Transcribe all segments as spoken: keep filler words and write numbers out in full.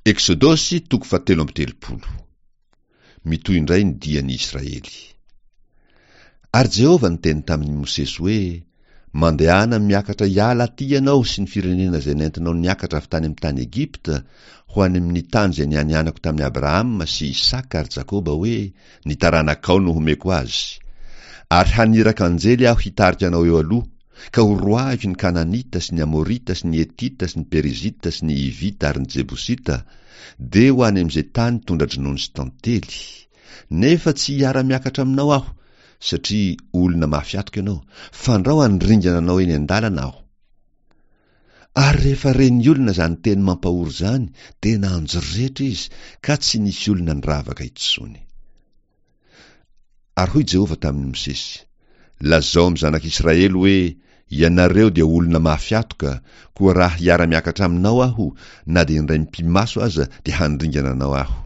Eksodosy toko fahatelo amby telopolo. Mitohy indray ny dian'ny Israely. Ary Jehovah niteny tamin'i Mosesy hoe, Mandehana miakatra hiala aty ianao sy ny firenena izay nentinao niakatra avy tany amin'ny tany Egypta ho any amin'ny tany izay nianianako tamin'i Abrahama sy Isaka ary Jakoba hoe, Ny taranakao no homeko azy. Ary haniraka anjely aho hitarika anao eo aloha, ka horoahiko ny Kananita sy ny Amorita sy ny Hetita sy ny Perizita sy ny Hivita ary ny Jebosita, dia ho any amin'izay tany tondra-dronono sy tantely. Nefa tsy hiara-miakatra aminao aho, satria olona mafy atoka ianao, fandrao handringana anao eny an-dalana aho. Ary rehefa ren'ny olona izany teny mampahory izany, dia nanjoretra izy, ka tsy nisy olona niravaka intsony. Ary hoy Jehovah tamin'i Mosesy, Lazao amin'ny zanak'Israely hoe, Ianareo dia olona mafy atoka, koa raha hiara-miakatra aminao aho, na dia indray mipi-maso aza, dia handringana anao aho.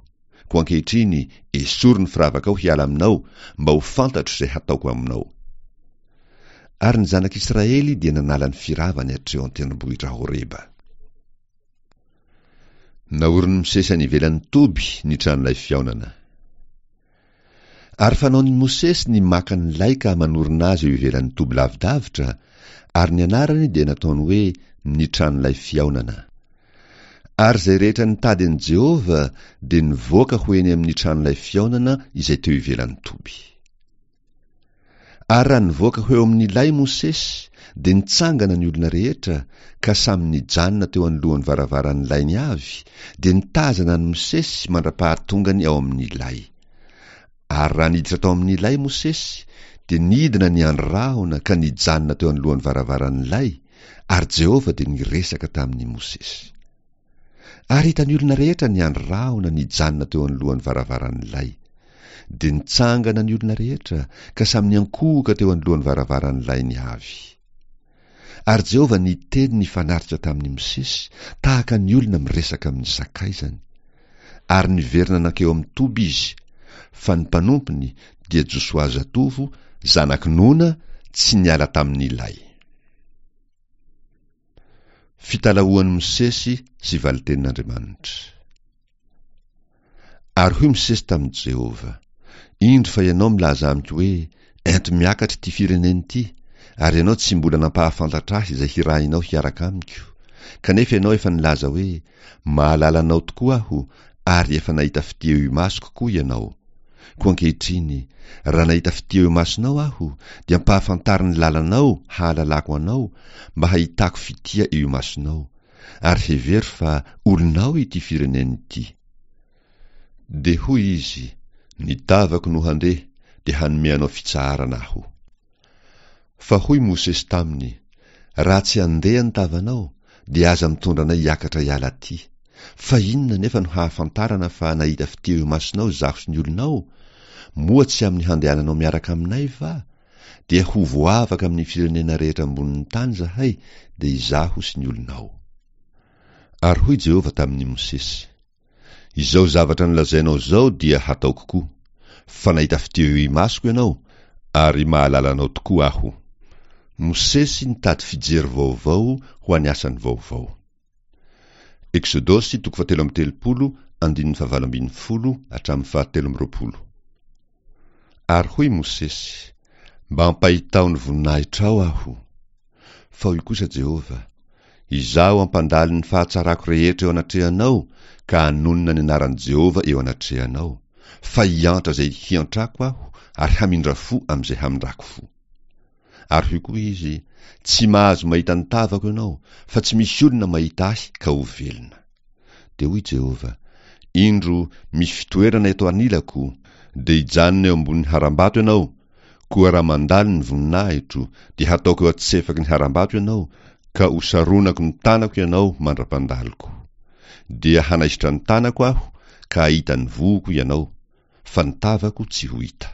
Koa ankehitriny, esory ny firavakao hiala aminao, mba ho fantatro izay hataoko aminao. Ary ny zanak'Israely dia nanala ny firavany hatreo an-tendrombohitra Horeba. Naorin'i Mosesy any ivelan'ny toby ny tranolay fihaonana. Ary fanaon'i Mosesy ny maka ny lay ka manorina azy eo ivelan'ny toby lavidavitra, ary ny anarany dia nataony hoe ny tranolay fihaonana. Ary izay rehetra nitady an'i Jehovah dia nivoaka ho eny amin'ny tranolay fihaonana izay teo ivelan'ny toby. Ary raha nivoaka ho eo amin'ny lay Mosesy, dia nitsangana ny olona rehetra, ka samy nijanona teo anoloan'ny varavaran'ny lainy avy, dia nitazana an'i Mosesy mandra-pahatongany ao amin'ny lay. Ary raha niditra tao amin'ny lay Mosesy, dia nidina ny andry rahona ka nijanona teo anoloan'ny varavaran'ny lay, ary Jehovah dia niresaka tamin'i Mosesy. Ary hitan'ny olona rehetra ny andry rahona nijanona teo anoloan'ny varavaran'ny lay. Dia nitsangana ny olona rehetra, ka samy niankohoka teo anoloan'ny varavaran'ny lainy avy. Ary Jehovah niteny nifanaritra tamin'i Mosesy, tahaka ny olona miresaka amin'ny sakaizany. Ary niverina nankeo amin'ny toby izy, fa ny mpanompony, dia Josoa zatovo, zanak'i Nona, tsy niala tamin'ny lay. Fitalahoan'i Mosesy sy valin-tenin'Andriamanitra. Ary hoy Mosesy tamin'i Jehovah, Indro fa ianao milaza amiko hoe, Ento miakatra ity firenena ity, ary ianao tsy mbola nampahafantatra ahy izay hirahinao hiaraka amiko. Kanefa ianao efa nilaza hoe, Mahalala anao tokoa aho, ary efa nahita fitia eo imasoko koa ianao. Koa ankehitriny, raha nahita fitia eo imasonao aho, dia ampahafantaro ny lalanao hahalalako anao, mba hahitako fitia eo imasonao, ary hevero fa olonao ity firenena ity. Dia hoy izy, Ny tavako no handeha, dia hanome anao fitsaharana aho. Fa hoy Mosesy taminy, Raha tsy handeha ny tavanao, dia aza mitondra anay hiakatra hiala aty. Fa inona anefa no hahafantarana fa nahita fitia eo imasonao izaho sy ny olonao? Moa tsy amin'ny handehananao miaraka aminay va? Dia ho voavaka amin'ny firenena rehetra ambonin'ny tany izahay, dia izaho sy ny olonao. Ary hoy Jehovah tamin'i Mosesy, Izao zavatra nolazainao izao dia hataoko koa, fa nahita fitia eo imasoko ianao, ary mahalala anao tokoa aho. Mosesy nitady fijery vaovao ho an'ny asany vaovao. Eksodosy toko fahatelo amby telopolo andininy fahavalo ambin'ny folo hatramin'ny fahatelo amby roapolo. Ary hoy Mosesy, Mba ampahitao ny voninahitrao aho. Fa hoy kosa Jehovah, Izaho hampandalo ny fahatsarako rehetra eo anatrehanao ka hanonona ny anaran'i Jehovah eo anatrehanao, fa hiantra izay hiantrako aho ary hamindra fo amin'izay hamindrako fo. Ary hoy koa izy, Tsy mahazo mahita ny tavako ianao, fa tsy misy olona mahita ahy ka ho velona. Dia hoy Jehovah, Indro, misy fitoerana eto anilako, dia hijanona eo ambonin'ny harambato ianao, koa raha mandalo ny voninahitro, dia hataoko eo an-tsefaky ny harambato ianao, ka hosaronako ny tanako ianao mandra-pandaloko. Dia hanaisotra ny tanako aho, ka hahita ny vohoko ianao, fa ny tavako tsy ho hita.